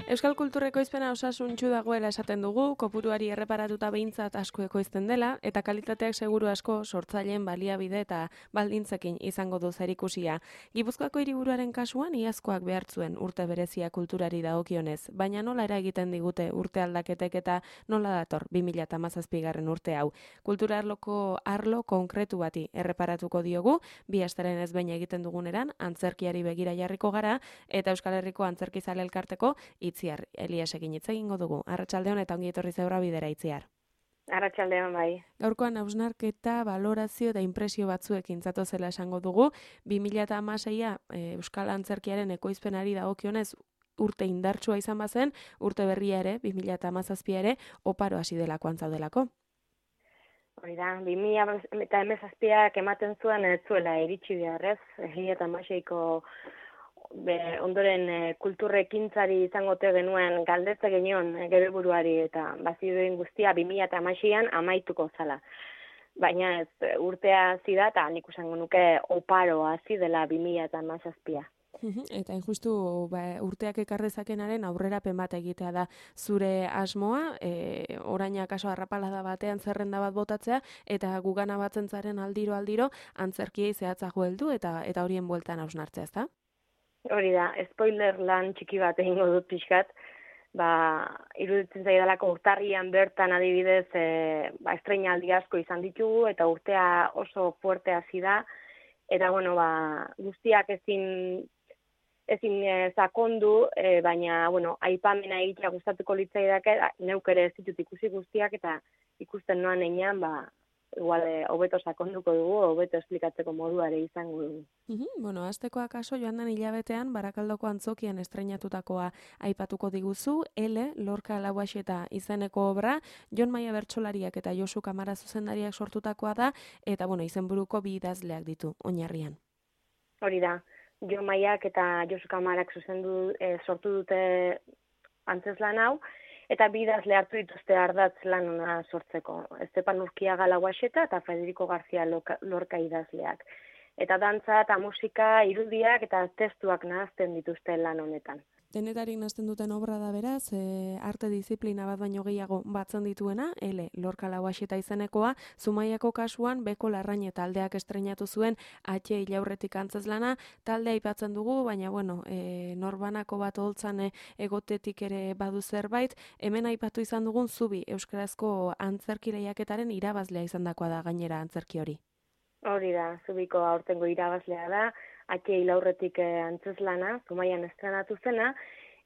Euskal kultura ekoizpena osasuntsu dagoela esaten dugu, kopuruari erreparatuta behintzat asko ekoizten dela, eta kalitateak seguru asko sortzaileen baliabide eta baldintzekin izango du zerikusia. Gipuzkoako hiriburuaren kasuan iazkoak behartzuen urte berezia kulturari dagokionez, baina nola eragiten digute urte aldaketek eta nola dator 2017 urte hau. Kultura arlo konkretu bati erreparatuko diogu, bi asteren ez behin egiten duguneran, antzerkiari begira jarriko gara, eta Euskal Herriko Antzerkizale Elkarteko Itziar Eliasekin hitz egingo dugu. Arratsaldeon eta ongi etorri zeura bidera, Itziar. Arratsaldeon bai. Gaurkoan hausnarketa, balorazio eta inpresio batzuekin zatozela esango dugu. 2016a Euskal Antzerkiaren ekoizpenari dagokionez urte indartsua izan bazen, urte berria ere, 2017 ere, oparo hasi delakoan zaudelako. Hori da, 2017ak ematen zuen ez zuela iritsi beharrez, 2016ko ondoren kulturrekintzari izango te genuen galdetze genion gure buruari eta bazirudien guztia 2016an amaituko zala. Baina ez urtea hasi da eta nik esango nuke oparo hasi dela 2017a. Eta injustu urteak ekar dezakenaren aurrerapen bat egitea da zure asmoa, oraina kaso arrapalada batean zerrenda bat botatzea, eta gugana batzen zaren aldiro antzerkiei zehatzago heldu eta horien bueltan hausnartzea, ezta? Hori da, spoiler lan txiki bat egingo dut pixkat, iruditzen zaidalako urtarrian bertan adibidez estreinaldi asko izan ditugu eta urtea oso fuerte hasi da, eta guztiak ezin sakondu, baina aipamena egitea gustatuko litzaidake, neuk ere ez ditut ikusi guztiak eta ikusten noan heinean, igual hobeto sakonduko dugu, hobeto esplikatzeko moduare izango dugu. Hasteko akaso joan den hilabetean Barakaldoko Antzokian estreinatutakoa aipatuko diguzu, Lorca Lauaxeta izeneko obra, Jon Maia bertsolariak eta Josu Kamara zuzendariak sortutakoa da, eta izenburuko bi idazleak ditu oinarrian. Hori da, Jon Maiak eta Josu Kamarak sortu dute antzezlan hau, eta bi idazle hartu dituzte ardatz lan hona sortzeko. Estepan Urkiaga Lauaxeta eta Federico García Lorca idazleak. Eta dantza eta musika, irudiak eta testuak nahazten dituzte lan honetan. Denetarik nazten duten obra da beraz, arte disiplina bat baino gehiago batzen dituena, Lorca Lauaxeta izenekoa, Zumaiako kasuan Beko Larrañe taldeak estreinatu zuen Atxe Ilaurretik antzezlana, taldea aipatzen dugu, baina norbanako bat holtzan egotetik ere badu zerbait, hemen aipatu izan dugun Zubi euskarazko antzerki lehiaketaren irabazlea izandakoa da gainera antzerki hori. Hori da, Zubiko aurtengo irabazlea da, Atxe Ilaurretik antzezlana, Zumaian estrenatu zena,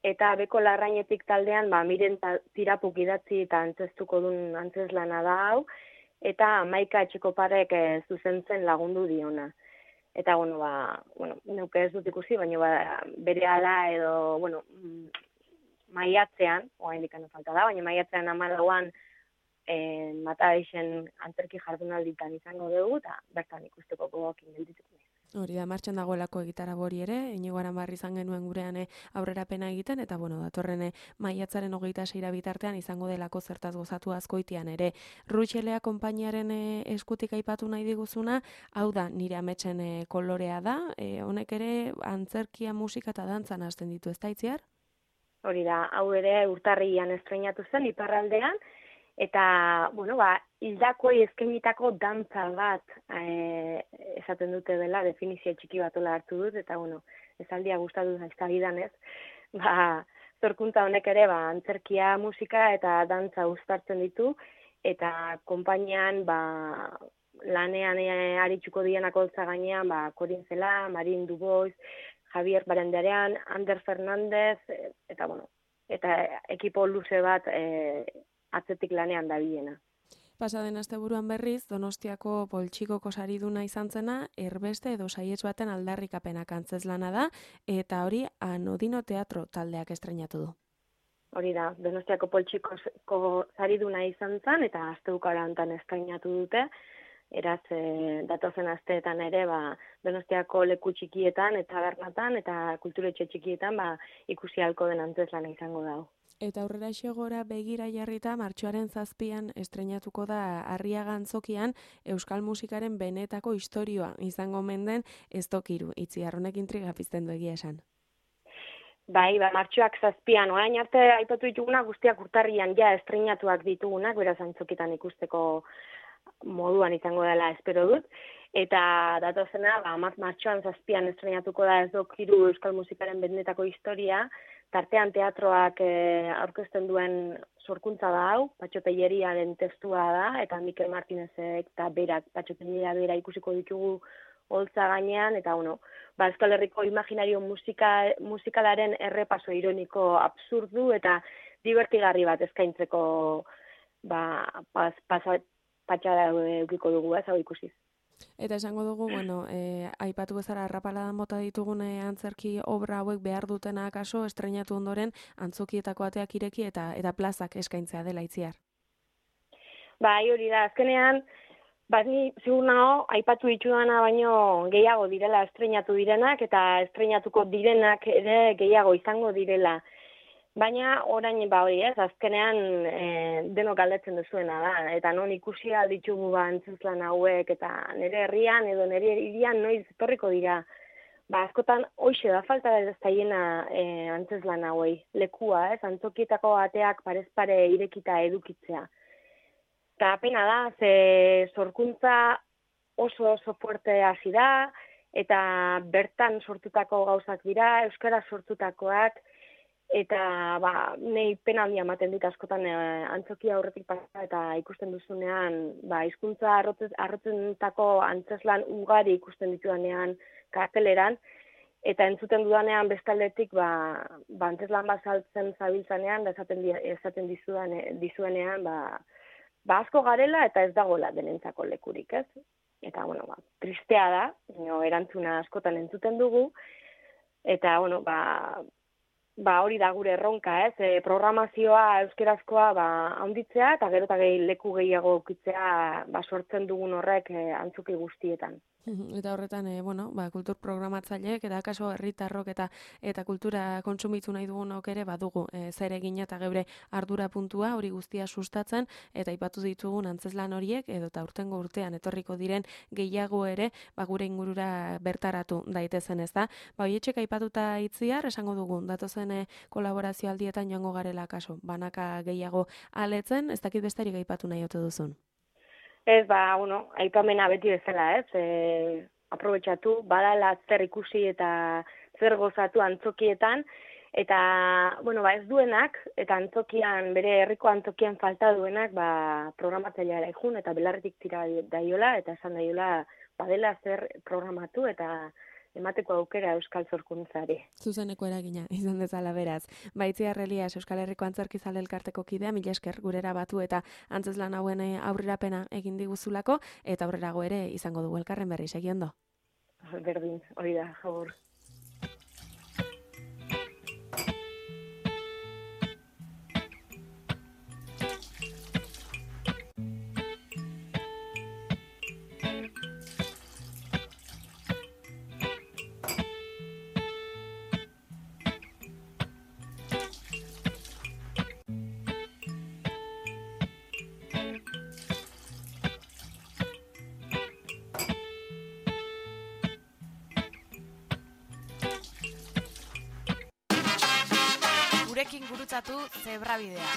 eta Beko Larrainetik taldean Miren Tirapuk idatzi eta antzeztuko duen antzezlana da hau, eta Maika Etxekoparek zuzentzen lagundu diona. Eta, neuke ez dut ikusi, baina berehala edo, maiatzean, oraindik falta da, baina maiatzean 14an Mataixen antzerki jardunalditan izango dugu, eta bertan ikusteko gogoekin geldituko naiz. Hori da, martxan dagoelako egitarau hori ere, Inigo Aranbarri izan genuen gurean aurrerapena egiten, eta datorren maiatzaren 26 bitartean izango delako zertaz gozatu Azkoitian ere. Rutxelea konpainiaren eskutik aipatu nahi diguzuna, hau da, nire ametsen kolorea da, honek ere antzerkia, musika eta dantzan hasten ditu, ez da Itziar? Hori da, hau ere urtarrian estreinatu zen, iparraldean, eta, hildakoi eskainitako dantza bat esaten dute dela, definizio txiki batola hartu dut, eta, esaldia gustatu zaizkagidan ez, zorkuntza honek ere, antzerkia, musika eta dantza uztartzen ditu, eta konpainian, lanean aritsuko dienak holtza gainean, Corin Cela, Marin Dubois, Javier Barandiarean, Ander Fernandez, eta ekipo luze bat atzetik lanean dabilena. Pasaden asteburuan berriz, Donostiako Poltsikoko sariduna izan zena, erbeste edo saiets baten aldarrikapenak antzezlana da, eta hori Anodino Teatro taldeak estreinatu du. Hori da, Donostiako Poltsikoko sariduna izan zen, eta asteukara hontan estreinatu dute, eraz datozen asteetan ere, Donostiako leku txikietan, eta bernatan, eta kulturetxe txikietan, ikusi ahalko den antzezlana izango dago. Eta aurrera xegora begira jarrita martxoaren 7an estreinatuko da Arriaga Antzokian euskal musikaren benetako istorioa izango menden ez tokiru. Itziar honek intriga pizten du egia esan. Bai, martxoak 7an, orain arte aipatu ditugunak guztiak urtarrian ja estreinatuak ditugunak, beraz antzokitan ikusteko moduan izango dela espero dut. Eta datozena, martxoan 7an estreinatuko da Ez dok hiru euskal musikaren benetako historia, tartean teatroak aurkezten duen sorkuntza da hau, Patxo Telleriaren testua da, eta Mikel Martinezek eta berak, Patxo Telleria bera ikusiko ditugu holtza gainean, eta Euskal Herriko imaginario musikalaren errepaso ironiko absurdu eta divertigarri bat eskaintzeko patxada eukiko dugu, hau ikusiz. Eta esango dugu, aipatu bezala arrapaladan bota ditugun antzerki obra hauek behar dutena akaso estreinatu ondoren antzokietako ateak ireki eta plazak eskaintzea dela Itziar. Bai, hori da, azkenean, ni ziur nago, aipatu ditudana baino gehiago direla estreinatu direnak, eta estreinatuko direnak ere gehiago izango direla. Baina orain hori ez, azkenean denok galdetzen duzuena da, eta non ikusi ditugu antzezlan hauek, eta nire herrian edo nire hirian noiz etorriko dira. Askotan hoixe da falta ez zaiena antzezlan hauei, lekua ez, antzokietako ateak parez pare irekita edukitzea. Eta pena da, ze sorkuntza oso fuerte hasi da, eta bertan sortutako gauzak dira, euskara sortutakoak, eta nei pena handia ematen dit askotan antzokia aurretik pasa eta ikusten duzunean, hizkuntza arrotzentako antzeslan ugari ikusten ditudanean karteleran, eta entzuten dudanean bestaldetik antzeslan bazaltzen zabiltzanean, esaten dizuenean, asko garela eta ez dagoela denentzako lekurik, ez? Eta, tristea da, erantzuna askotan entzuten dugu, eta, hori da gure erronka, ez? Programazioa euskerazkoa handitzea, eta gero eta leku gehiago ukitzea sortzen dugun horrek antzoki guztietan. Eta horretan, kultur programatzaileek eta akaso herritarrok eta kultura kontsumitu nahi dugunok ere badugu zer egina eta geure ardura puntua hori guztia sustatzen eta aipatu ditugun antzeslan horiek edo eta urtengo urtean etorriko diren gehiago ere gure ingurura bertaratu daitezen, ez da? Hoietxek aipatuta Itziar, esango dugu, datozen kolaborazio aldietan joango garela akaso, banaka gehiago aletzen, ez dakit besterik aipatu nahi ote duzun? Ez, aipamena beti bezala, ez? Aprobetxatu, badala zer ikusi eta zer gozatu antzokietan, eta, ez duenak, eta antzokian, bere herriko antzokian falta duenak, programatzaileara ikun, eta belarretik tira daiola, eta esan daiola, badela zer programatu, eta emateko aukera euskal sorkuntzari. Zuzeneko eragina, izan dezala beraz. Itziar Elias, Euskal Herriko Antzerkizale Elkarteko kidea, mila esker gurera batu eta antzeslan hauen aurrerapena egin diguzulako, eta aurrerago ere izango dugu elkarren berri, segi ondo. Berdin, hori da, jabur. Gurekin gurutzatu Zebrabidea.